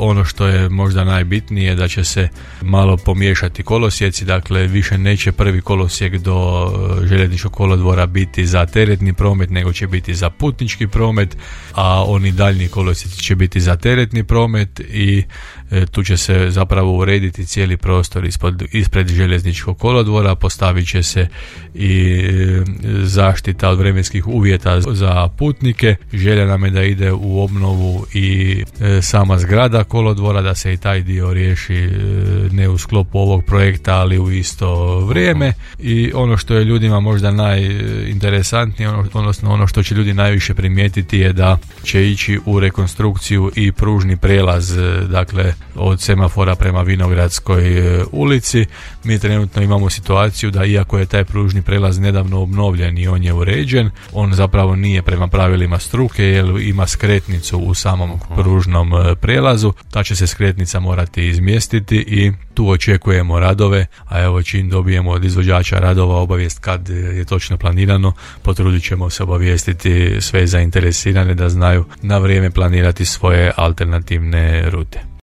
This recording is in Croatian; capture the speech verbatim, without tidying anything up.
ono što je možda najbitnije da će se malo pomiješati kolosijeci, dakle više neće prvi kolosijek do željezničkog kolodvora biti za teretni promet, nego će biti za putnički promet, a oni daljnji kolosijeci će biti za teretni promet i e, tu će se zapravo urediti cijeli prostor ispod, ispred željezničkog kolodvora, postavit će se i e, zaštita od vremenskih uvjeta za putnike. Želja nam je da ide u obnovu i e, sama zgrada kolodvora, da se i taj dio riješi e, ne u sklopu ovog projekta, ali u isto vrijeme. I ono što je ljudima možda najinteresantnije, ono, odnosno ono što će ljudi najviše primijetiti je da će ići u rekonstrukciju i pružni prijelaz, dakle od semafora prema Vinogradskoj ulici. Mi trenutno imamo situaciju da iako je taj pružni prijelaz nedavno obnovljen i on je uređen, on zapravo nije prema pravilima struke jer ima skretnicu u samom pružnom prijelazu. Ta će se skretnica morati izmjestiti i tu očekujemo radove, a evo čim dobijemo od izvođača radova obavijest kad je točno planirano, potrudit ćemo se obavijestiti sve zainteresirane da znaju na vrijeme planirati svoje alternativne rute.